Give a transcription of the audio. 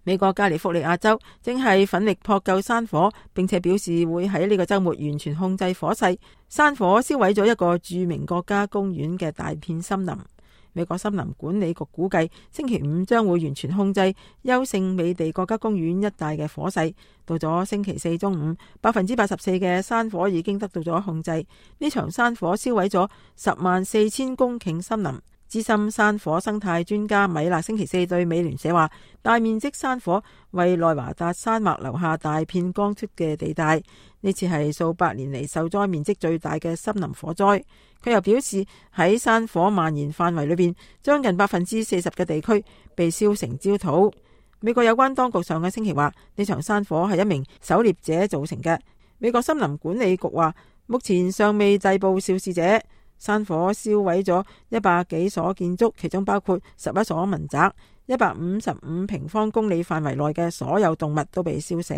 美國加利福尼亞州正係奮力撲救山火，並且表示會喺呢個週末完全控制火勢。山火燒毀咗一個著名國家公園嘅大片森林。美國森林管理局估計星期五將會完全控制優勝美地國家公園一帶嘅火勢。到咗星期四中午，84%嘅山火已經得到咗控制。呢場山火燒毀咗104000公頃森林。資深山火生態專家米勒星期四對美聯社話：大面積山火為內華達山脈留下大片光禿嘅地帶，呢次係數百年嚟受災面積最大嘅森林火災。佢又表示喺山火蔓延範圍裏邊，將近40%嘅地區被燒成焦土。美國有關當局上個星期話，呢場山火係一名狩獵者造成嘅。美國森林管理局話，目前尚未逮捕肇事者。山火燒毀咗100幾所建築，其中包括11所民宅，155平方公里範圍內嘅所有動物都被燒死。